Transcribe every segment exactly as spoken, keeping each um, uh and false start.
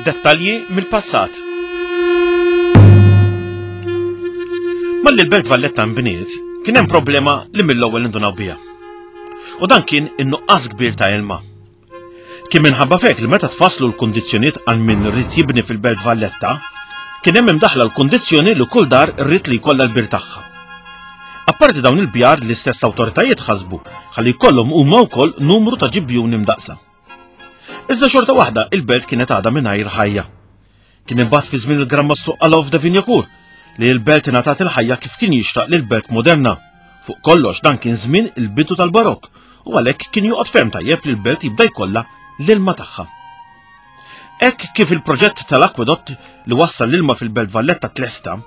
Dettalji mill-passat. Malli l-Belt Valletta nbniet, kien hemm problema li mill-ewwel indunaw biha. U dan kien in-nuqqas kbir ta' ilma. Kien minħabba fek li meta tfasslu l-kundizzjonijiet għal min ried jibni fil-Belt Valletta, kien hemm imdaħla l-kundizzjoni li kull dar rrid li jkollha l-bir tagħha. Apparti dawn il-bjar, l-istess awtoritajiet ħasbu ħalli jkollhom huma wkoll numru ta' ġibjuni mdaqsa. Iżda xorta waħda il-belt kienet għadha mingħajr ħajja. Kien imbagħad fi żmien il-Gran Mastru Alof de Vignacourt li l-belt ingħatat il-ħajja kif kien jixtaq lil belt moderna. Fuq kollox dan kien żmien il-bidu tal-Barokk u għalhekk kien joqgħod ferm tajjeb li l-belt jibda jkollha l-ilma tagħha. Hekk kif il-proġett tal-akwedott li wassal l-ilma fil-Belt Valletta tlesta,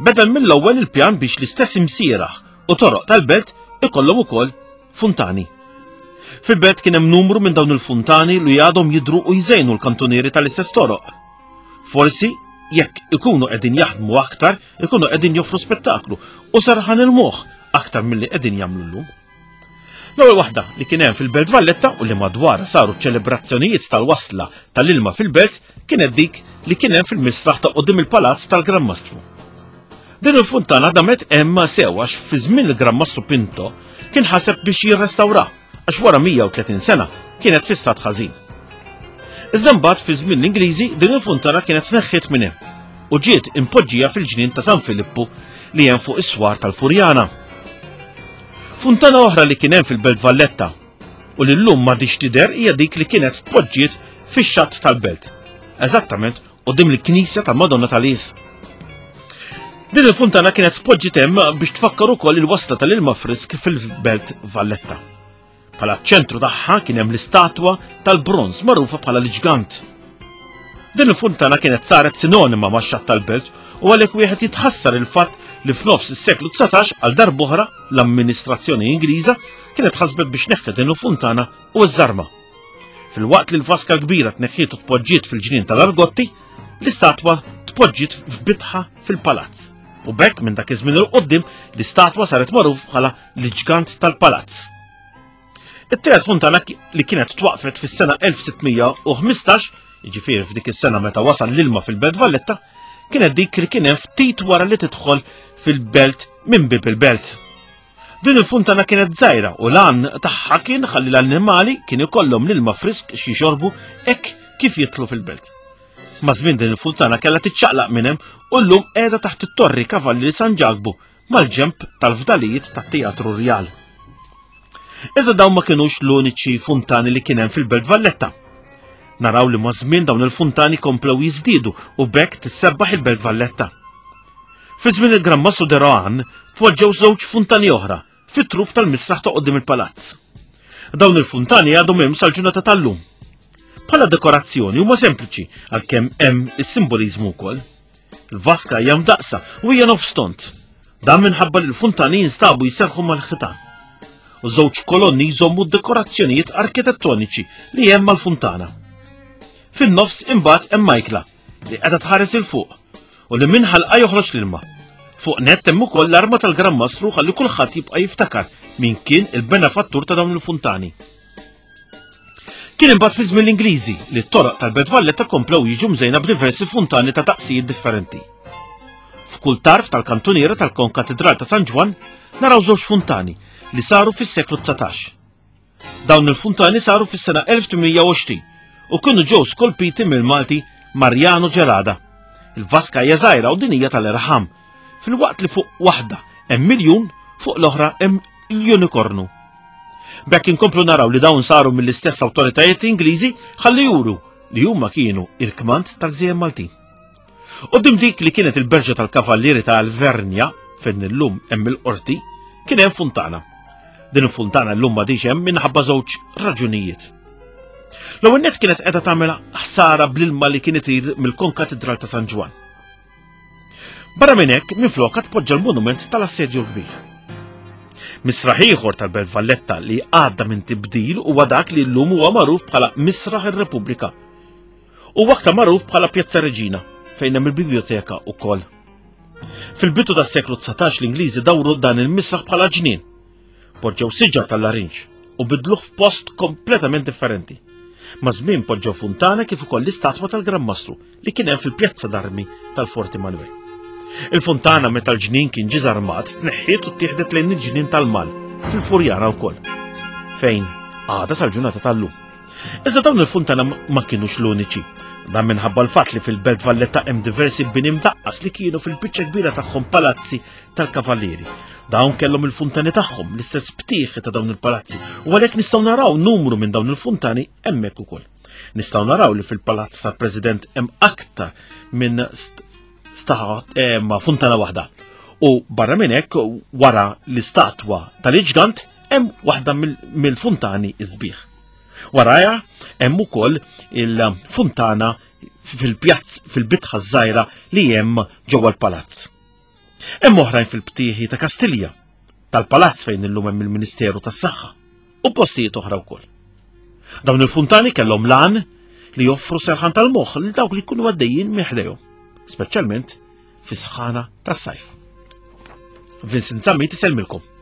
beda mill-ewwel il-pjan biex l-istess imsieraħ u toroq tal-belt ikollhom ukoll funtani. Fil-belt kien hemm numru minn dawn il-funtani li għadhom jidru u jżejnu l-kantunieri tal-istess toroq. Forsi jekk ikunu qegħdin jaħdmu aktar, ikunu qegħdin joffru spettaklu u serħan il-moħħ aktar milli qegħdin jagħmlu llum. L-ewwel waħda li kien hemm fil-Belt Valletta u li madwar saru ċelebrazzjonijiet tal-wasla tal-ilma fil-belt kienet dik li kien hemm fil-misraħ ta' qudiem il-Palazz tal-Gran Mastru. Din il-funtana damet hemm sew għax fi żmien il-Gran Mastru Pinto kien ħaseb biex jirrestawra għax wara mija u tletin sena kienet fi stat ħażin. Iżda mbagħad fi żmien l-Ingliżi din il-funtana kienet tneħħiet minn hemm u ġiet impoġġija fil-ġnien ta' San Filippu li hemm fuq is-swar tal-Furjana. Funtana oħra li kien hemm fil-Belt Valletta u li llum m'għadix tidher hija dik li kienet tpoġġiet fix-xatt tal-belt, eżattament quddiem il-Knisja tal-Madonna tal-Is. Din il-funtana kienet tpoġġiet hemm biex tfakkar ukoll il-wasla tal-ilma frisk fil-Belt Valletta. Bħala ċentru tagħha kien hemm l-istatwa tal-bronż magħrufa bħala l-ġgant. Din il-funtana kienet saret sinonima max-xatt tal-belt u għalhekk wieħed jitħassar il-fatt li f'nofs is-seklu dsatax għal darb'oħra l-amministrazzjoni Ingliża kienet ħasbet biex neħħet din il-funtana u ż-żarma. Filwaqt li l-vaska kbira tneħħiet u tpoġġiet fil-ġnien tal-Argotti, l-istatwa tpoġġiet f'bitħa fil-palazz. U b'hekk minn dak iż-żmien il quddiem l-istatwa saret magħruf bħala l-ġgant tal-palazz. It-tielet funtana li kienet twaqfet fis-sena elf sitt mija u ħmistax, jiġifieri f'dik is-sena meta wasal l-ilma fil-Belt Valletta, kienet dik li kien hemm ftit wara li tidħol fil-belt minn bib il-belt. Din il-funtana kienet żgħira u l-għan tagħha kien ħalli l-annimali kien ikollhom l-ilma frisk xi jxorbu hekk kif jidħlu fil-belt. Ma' żmien din il-funtana kellha tiċċaqlaq minn hemm u llum qiegħda taħt it-Torri Kavalli San Ġakbu mal-ġemp tal-fdalijiet tat-Teatru Rjal. Iżda dawn ma kinux l-uniċi funtani li kien hemm fil-Belt Valletta. Naraw li ma' żmien dawn il-funtani komplew jiżdiedu u b'hekk tissebbaħ il-Belt Valletta. Fi żmien il-Gran Mastru de Rohan tpoġġew żewġ funtani oħra fit-truf tal-misraħ ta' quddiem il-palazz. Dawn il-funtani għadhom hemm sal-ġurnata tal-lum. Bħala dekorazzjoni huma sempliċi għalkemm hemm is-simboliżmu wkoll. Il-vaska hija mdaqsa u hija nofs tont. Dan minħabba li l-funtani jinstabu jserħu mal-ħitan. U żewġ kolonni jżommu d-dekorazzjonijiet arkitettoniċi li hemm mal-funtana. Fin-nofs imbagħad hemm Majkla li qiegħda tħares il fuq u li minn ħalqa joħroġ l-ilma. Fuq nett hemm ukoll l-arma tal-Gran Mastru ħalli kulħadd jibqa' jiftakar min kien il-benefattur ta' dawn il-funtani. Kien imbagħad fi żmien l-Ingliżi li t-toroq tal-Belt Valletta komplew jiġu mżejna b'diversi funtani ta' taqsijiet differenti. F'kull tarf tal-kantuniera tal-Konkatedral ta' San Ġwann naraw żewġ funtani li saru fis-seklu dsatax. Dawn il-funtani saru fis-sena elf tmien mija u għoxrin u kienu ġew skolpiti mill-Malti Mariano Gerada. Il-vaska hija żgħira u din hija tal-irħam, filwaqt li fuq waħda hemm miljun, fuq l-oħra hemm l-unikornu. B'hekk inkomplu naraw li dawn saru mill-istess awtoritajiet Ingliżi ħalli juru li huma kienu il-kmand tal-gżejjer Maltin. Quddiem dik li kienet il-berġa tal-Kavallieri ta' Alvernja, fejn illum hemm il-qorti, kien hemm funtana. Din il-funtana llum m'għadix hemm minħabba żewġ raġunijiet. L-ewwel nett kienet qiegħda tagħmel ħsara bl-ilma li kien itir mill-Konkatedral ta' San Ġwann. Barra minn hekk, minflokha tpoġġa l-monument tal-Assedju l-Kbir. Misraħ ieħor tal-Belt Valletta li għadda minn tibdil huwa dak li llum huwa magħruf bħala Misraħ ir-Repubblika. Huwa aktar magħruf bħala Pjazza Reġina, fejn hemm il-biblioteka wkoll. Fil-bidu tas-seklu dsatax l-Ingliżi dawru dan il-misraħ bħala ġnien. Poġġew siġar tal-larinġ u bidluh f'post kompletament differenti. Maż-żmien poġġew funtana kif ukoll l-istatwa tal-Gran Mastru li kien hemm fil-Pjazza d'Armi tal-Forti Manuel. Il-funtana meta l-ġnien kien ġie żarmat tneħħiet u ttieħdet lejn il-ġnien tal-Mal fil-Furjana wkoll, fejn għadha sal-ġurnata tal-lum. Iżda dawn il-funtana ma kinux l-uniċi. Dan minħabba l-fatt li fil-Belt Valletta hemm diversi bini mdaqqas li kienu fil-biċċa kbira tagħhom palazzi tal-kavallieri. Dawn kellhom il-funtani tagħhom, l-istess btieħi ta' dawn il-palazzi, u għalhekk nistgħu naraw numru minn dawn il-funtani hemmhekk ukoll. Nistgħu naraw li fil-palazz tal-President hemm aktar minn eh, funtana waħda. U barra minn hekk wara l-istatwa tal-iġgant hemm waħda mill-funtani isbieħ. Waraja hemm ukoll il-funtana fil-pjazz fil-bitħa żgħira li hemm ġewwa l-palazz. Hemm oħrajn fil-btieħi ta' Kastilja, tal-palazz fejn illum hemm il-Ministeru tas-Saħħa u postijiet oħra wkoll. Dawn il-funtani kellhom lan li joffru serħan tal-moħħ lil dawk li jkunu għaddejjin minn ħdejhom, speċjalment fis-sħana tas-sajf. Vincent Zammit isellmilkom.